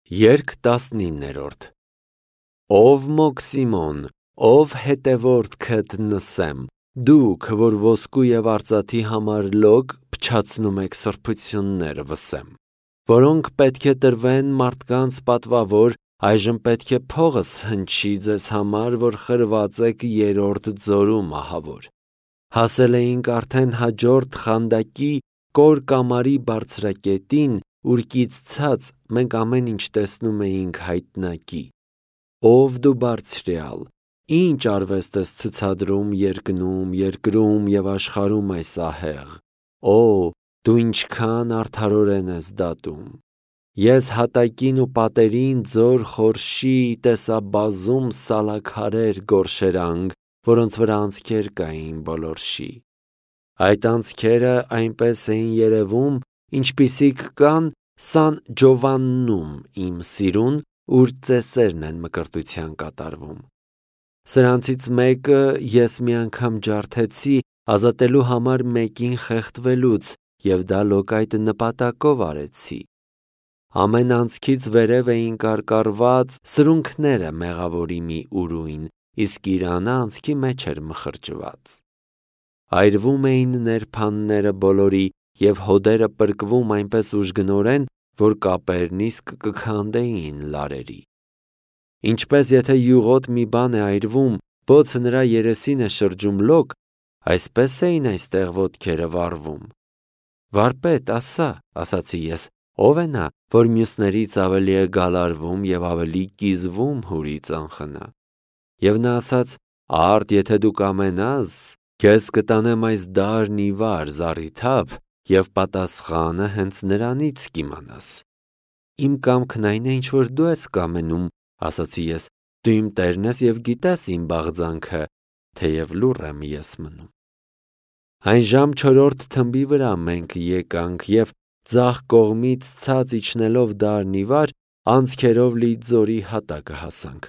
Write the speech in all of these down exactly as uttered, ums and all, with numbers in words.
Երգ տասնիններորդ Ով Մոքսիմոն, ով հետևորդքդ նսեմ, դուք, որ ոսկու և արծաթի համար լոկ փչացնում եք սրբություններ վսեմ, որոնք պետք է տրվեն մարդկանց պատվավոր, այժմ պետք է փողս հնչի ձեզ համար, որ խրված եք երրորդ ձորում ահավոր։ Հասել էինք արդեն հաջորդ խանդակի կոր կամարի բարձրակետին, ուրկից ցած մենք ամեն ինչ տեսնում էինք հայտնակի։ Ով դու բարձրյալ, ինչ արվեստ ես ցուցադրում երկնում, երկրում և աշխարհում այս ահեղ, Օ, դու ինչքան արդարորեն ես դատում։ Ես հատակին ու պատերին ձոր խորշի տեսա բազում սալաքարեր գորշերանք, որոնց վրա անցքեր կային բոլորշի։ Այդ անցքերը այնպես էին երևում, ինչպիսիք կան Սան Ջովաննում իմ սիրուն, ուր ծեսերն են մկրտության կատարվում։ Սրանցից մեկը ես մի անգամ ջարդեցի ազատելու համար մեկին խեղդվելուց և դա լոկայտ նպատակով արեցի։ Ամեն անցքից վերև էին կարկառված սրունքները մեղավորի մի ուրույն, իսկ իրանը անցքի մեջ էր մխրճված։ Այրվում էին ներփանները բոլորի և հոդերը պրկվում այնպես ուժգնորեն, որ կապերն իսկ կքանդեին լարերի։ Ինչպես եթե յուղոտ մի բան է այրվում, բոցը նրա երեսին է շրջում լոկ, այսպես էին այստեղ ոտքերը վառվում։ Վարպետ, ասա, ասացի ես, ով է նա, որ մյուսներից ավելի է գալարվում և ավելի կիզվում հուրից անխնա։ Եվ նա ասաց. Արդ, եթե դու կամենաս, քեզ կտանեմ այս դարն ի վար զառիթափ և պատասխանը հենց նրանից կիմանաս։ Իմ կամքն այն է, ինչ որ դու ես կամենում, ասացի ես, դու իմ տերն ես և գիտես իմ բաղձանքը, թեև լուռ եմ ես մնում։ Այն ժամ չորրորդ թմբի վրա մենք եկանք և ձախ կողմից ցած իջնելով դարն ի վար, անցքերով լի ձորի հատակը հասանք։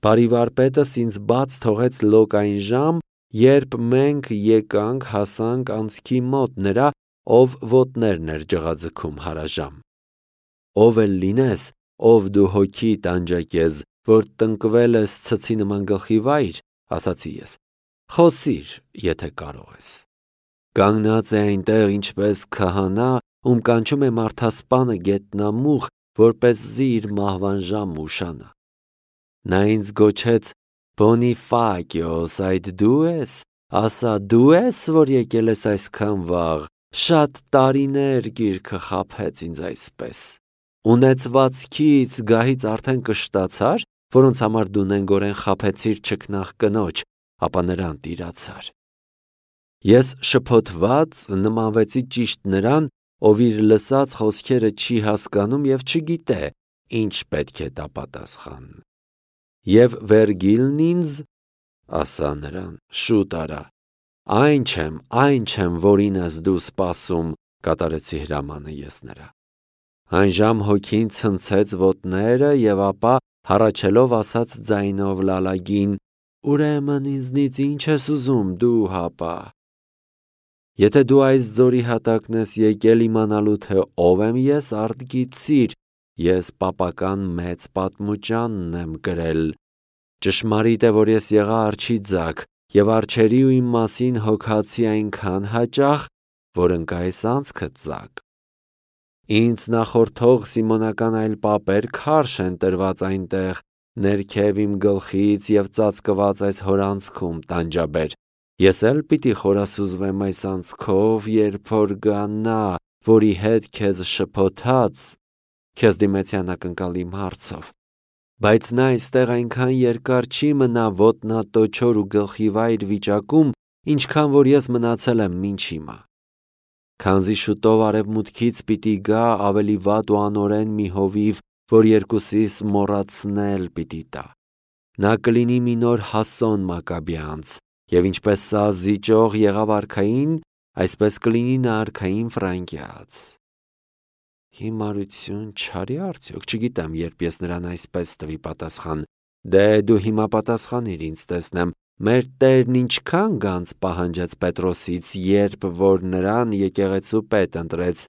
Բարի վարպետս ինձ բաց թողեց լոկ այն ժամ, երբ մենք եկանք հասանք անցքի մոտ նրա, ով ոտներն էր ջղաձգում հարաժամ։ Ով էլ լինես, ով դու հոգի տանջակեզ, որ տնկվել ես ցցի նման գլխի վայր, ասացի ես, խոսիր, եթե կարող ես։ Կանգնած է այնտեղ ինչպես քահանա, ում կանչում է մարդասպանը գետնամուղ, որպեսզի իր մահվան ժամը ուշանա։ Նա ինձ գոչեց. Բոնիֆակիոս, այդ դու ես, ասա, դու ես, որ եկել ես այսքան վաղ, շատ տարիներ գիրքը խաբեց ինձ այսպես։ Ունեցվածքից, գահից արդեն կշտացար, որոնց համար դու նենգորեն խաբեցիր չքնաղ կնոջ, ապա նրան տիրացար։ Ես շփոթված նմանվեցի ճիշտ նրան, ով իր լսած խոսքերը չի հասկանում և չգիտե, ինչ պետք է տա պատասխան։ Եվ Վերգիլն ինձ, ասա նրան, շուտ արա, այն չեմ, այն չեմ, որին ես դու սպասում, կատարեցի հրամանը ես նրա։ Այն ժամ հոգին ցնցեց ոտները և ապա հառաչելով ասաց ձայնով լալագին. Ուրեմն ինձնից ինչ ես ուզում դու հապա։ Եթե դու այս ձորի հատակն ես եկել իմանալու, թե ով եմ ես, արդ գիտցիր, ես պապական մեծ պատմուճանն եմ կրել։ Ճշմարիտ է, որ ես եղա արջի ձագ և արջերի ու իմ մասին հոգացի այնքան հաճախ, որ ընկա այս անցքը ծակ։ Ինձ նախորդող Սիմոնական այլ պապեր քարշ են տրված այնտեղ, ներքև իմ գլխից և ծածկված այս հորանցքում տանջաբեր։ Ես էլ պիտի խորասուզվեմ այս անցքով, երբ որ գա նա, որի հետ քեզ շփոթած, քեզ դիմեցի անակնկալ իմ հարցով։ Բայց նա այստեղ այնքան երկար չի մնա ոտնատոչոր ու գլխի վայր վիճակում, ինչքան որ ես մնացել եմ մինչ հիմա։ Քանզի շուտով արևմուտքից պիտի գա ավելի վատ ու անօրեն մի հովիվ, որ երկուսիս մոռացնել պիտի տա։ Նա կլինի մի նոր Հասոն Մակաբեանց, և ինչպես սա զիջող եղավ արքային, այսպես կլինի նա արքային Ֆրանկիաց։ Հիմարություն չարի արդյոք, չգիտեմ, երբ ես նրան այսպես տվի պատասխան։ Դե դու հիմա պատասխանիր ինձ տեսնեմ, մեր Տերն ինչքան գանձ պահանջեց Պետրոսից, երբ որ նրան եկեղեցու պետ ընտրեց։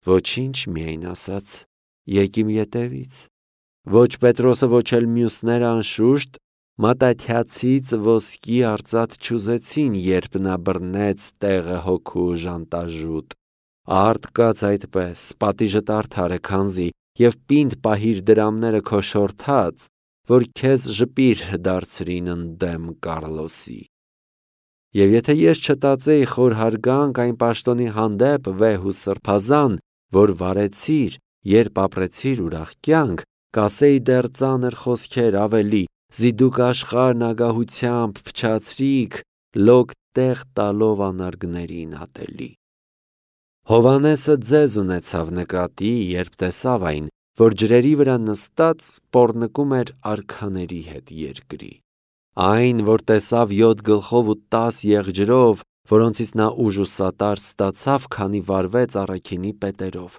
Ոչինչ, միայն ասաց, Եկ իմ ետևից։ Ոչ Պետրոսը, ոչ էլ մյուսները անշուշտ մատաթյացից ոսկի արծաթ չուզեցին, երբ նա բռնեց տեղը հոգու ժանտաժուտ։ Արդ կաց այդպես, պատիժդ արդար է, քանզի, և պինդ պահիր դրամները քո շորթած, որ քեզ ժպիր դարձրին ընդդեմ Կառլոսի։ Եվ եթե ես չտածեի խոր հարգանք այն պաշտոնի հանդեպ վեհ ու սրբազան, որ վարեցիր, երբ ապրեցիր ուրախ կյանք, կասեի դեռ ծանր խոսքեր ավելի, զի դուք աշխարհն ագահությամբ փչացրիք, լոկ տեղ տալով անարգներին ատելի։ Հովհաննեսը ձեզ ունեցավ նկատի, երբ տեսավ այն, որ ջրերի վրա նստած պոռնկում էր արքաների հետ երկրի։ Այն, որ տեսավ յոթ գլխով ու տաս եղջերով, որոնցից նա ուժ ու սատար ստացավ, քանի վարվեց առաքինի պետերով։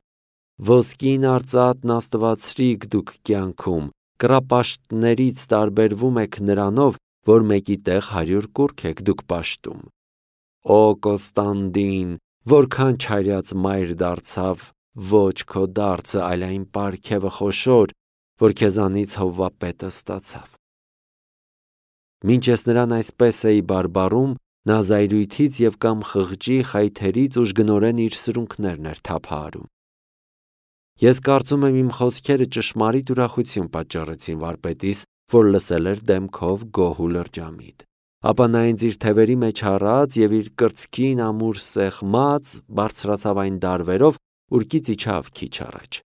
Ոսկին արծաթն աստվածրիք դուք կյանքում, կռապաշտներից տարբերվում եք նրանով, որ մեկի տեղ հարյուր կուռք եք դուք պաշտում։ Օ Կոստանդին, որքան չարյաց մայր դարձավ ոչ քո դարձը, այլ այն պարգևը խոշոր, որ քեզանից Հովվապետը ստացավ։ Մինչ ես նրան այսպես էի բարբառում, նա զայրույթից և կամ խղճի խայթերից ուժգնորեն իր սրունքներն էր թափահարում։ Ես կարծում եմ իմ խոսքերը ճշմարիտ ուրախություն պատճառեցին վարպետիս, որ լսել էր դեմքով գոհ ու լրջամիտ։ Ապա նա ինձ իր թևերի մեջ առած և իր կրծքին ամուր սեղմած բարձրացավ այն դարվերով, ուր կից իջավ քիչ առաջ։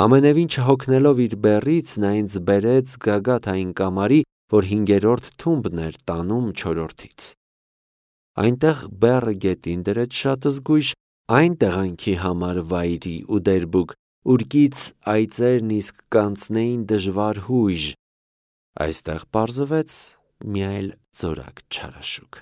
Ամենևին չհոգնելով իր բեռից, նա ինձ բերեց գագաթ այն կամարի, որ հինգերորդ թումբն էր տանում չորրորդից։ Այնտեղ բեռը գետին դրեց շատ զգույշ, այն տեղանքի համար վայրի ու դերբուկ, ուր կից այծերն իսկ կանցնեին դժվար հույժ, այստեղ պարզվեց մի այլ ձորակ չարաշուք։